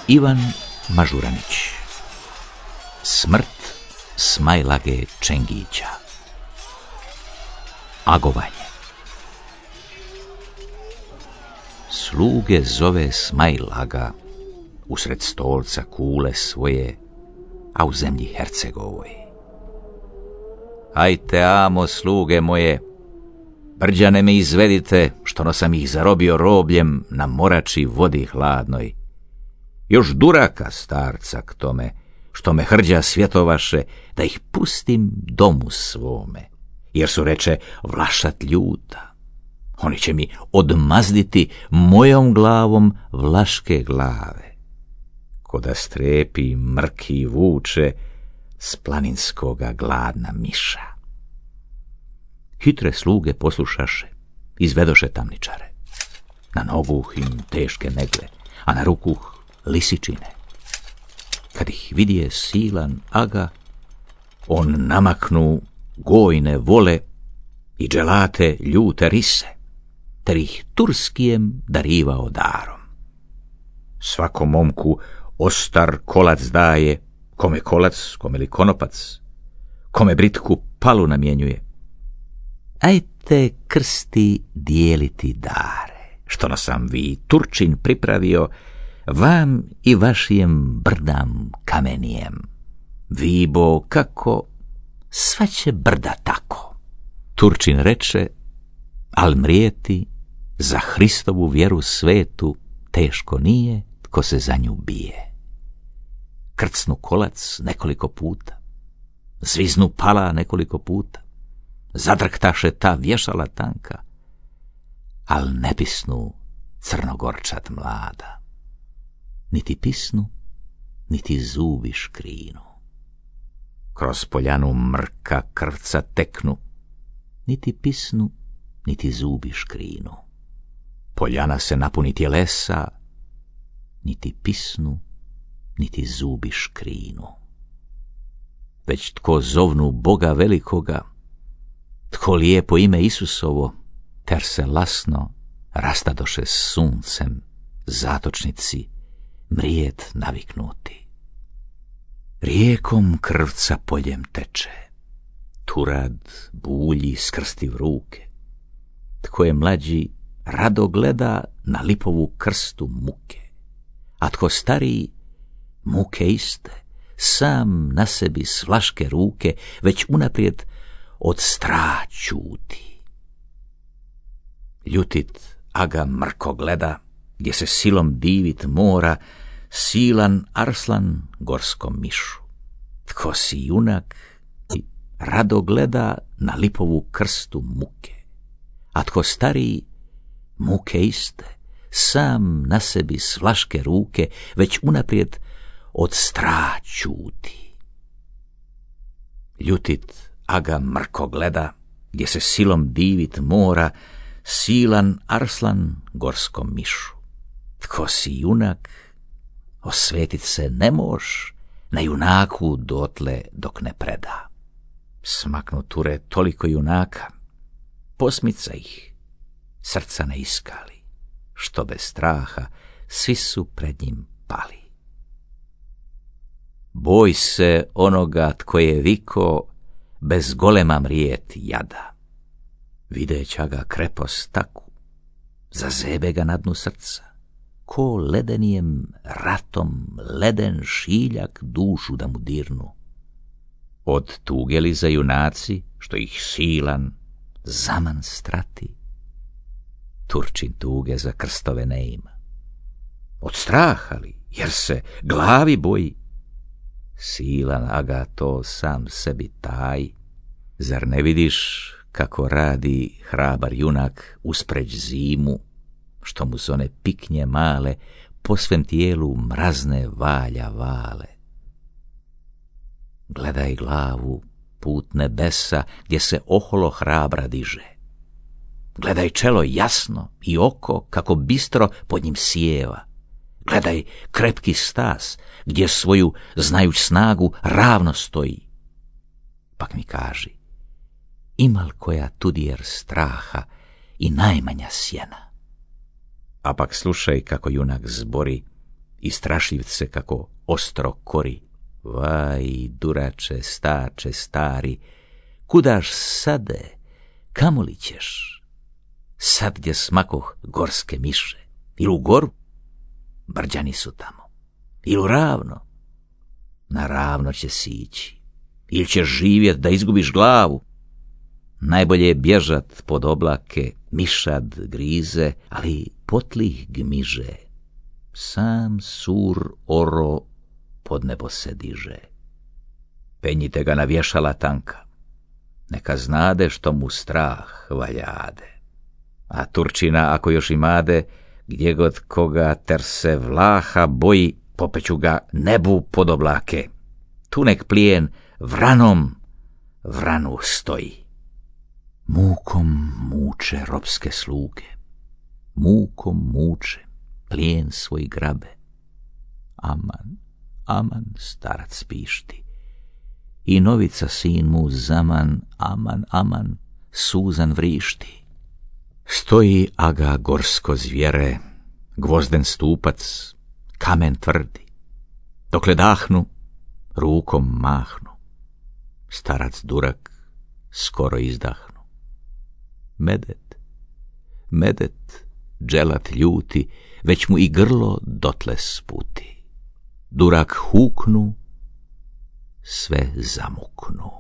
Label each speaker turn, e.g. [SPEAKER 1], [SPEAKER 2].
[SPEAKER 1] Ivan Mažuranić. Smrt Smajlage Čengića. Agovanje. Sluge zove Smajlaga usred stolca kule svoje, a u zemlji Hercegovoj. Ajte, amo, sluge moje, brđane me izvedite, što no sam ih zarobio robljem na morači vodi hladnoj. Još duraka starca k tome, što me hrđa svjetovaše, da ih pustim domu svome, jer su, reče, Vlašat ljuta. Oni će mi odmazditi mojom glavom vlaške glave, ko da strepi mrki vuče s planinskoga gladna miša. Hitre sluge poslušaše, izvedoše tamničare. Na noguh im teške megle, a na rukuh lisičine. Kad ih vidije silan aga, on namaknu gojne vole i dželate ljute rise, ter ih Turskijem darivao darom. Svakom momku ostar kolac daje, kome kolac, kome li konopac, kome britku palu namjenjuje. Ajte krsti dijeliti dare, što na sam vi Turčin pripravio, vam i vašijem brdam kamenijem. Vibo kako, sva će brda tako. Turčin reče, al mrijeti za Hristovu vjeru svetu teško nije tko se za nju bije. Krcnu kolac nekoliko puta, zviznu pala nekoliko puta, zadrktaše ta vješala tanka, al ne pisnu crnogorčat mlada. Niti pisnu, niti zubi škrinu. Kroz poljanu mrka krvca teknu, niti pisnu, niti zubi škrinu. Poljana se napuni tjelesa, niti pisnu, niti zubi škrinu. Već tko zovnu Boga velikoga, tko lijepo ime Isusovo, ter se lasno rastadoše suncem zatočnici mrijet naviknuti. Rijekom krvca poljem teče, Turad bulji skrstiv ruke. Tko je mlađi, rado gleda na lipovu krstu muke, a tko stariji, muke iste, sam na sebi s vlaške ruke već unaprijed od straha ćuti. Ljutit aga mrko gleda, gdje se silom divit mora, silan Arslan gorskom mišu. Tko si junak, rado gleda na lipovu krstu muke, a tko stariji, muke iste, sam na sebi s vlaške ruke već unaprijed od straha ćuti. Ljutit aga mrko gleda, gdje se silom divit mora, silan Arslan gorskom mišu. Tko si junak, osvetit se ne moš na junaku dotle dok ne preda. Smaknu Ture toliko junaka, posmica ih, srca ne iskali, što bez straha svi su pred njim pali. Boj se onoga tko je viko, bez golema mrijet jada. Videća ga krepost taku, zazebe ga na dnu srca, ko ledenijem ratom leden šiljak dušu da mu dirnu. Od tuge li za junaci, što ih silan zaman strati? Turčin tuge za krstove ne ima. Od straha li, jer se glavi boji? Silan aga to sam sebi taj. Zar ne vidiš kako radi hrabar junak uspreć zimu, što mu s one piknje male po svem tijelu mrazne valja vale? Gledaj glavu put nebesa gdje se oholo hrabra diže. Gledaj čelo jasno i oko kako bistro pod njim sjeva. Gledaj krepki stas gdje svoju znajuć snagu ravno stoji. Pak mi kaži, imal koja tudjer straha i najmanja sjena? A pak slušaj kako junak zbori i strašivce kako ostro kori. Vaj, durače, stače, stari, kudaš sade, kamo li ćeš? Sad gdje smakoh gorske miše, ili u goru, brđani su tamo, ili u ravno, na ravno će si ići, ili ćeš živjet da izgubiš glavu. Najbolje je bježat pod oblake, mišad grize, ali potlih gmiže, sam sur oro pod nebo se diže. Penjite ga na vješala tanka, neka znade što mu strah valjade. A Turčina, ako još imade, gdje god koga ter se vlaha boji, popeću ga nebu pod oblake. Tu nek plijen vranom vranu stoji. Mukom muče ropske sluge, mukom muče plijen svoj grabe. Aman, aman, starac pišti, i novica sin mu zaman, aman, aman, suzan vrišti. Stoji aga gorsko zvjere, gvozden stupac, kamen tvrdi. Dokle dahnu, rukom mahnu, starac durak skoro izdahnu. Medet, medet, dželat ljuti, već mu i grlo dotle sputi. Durak huknu, sve zamuknu.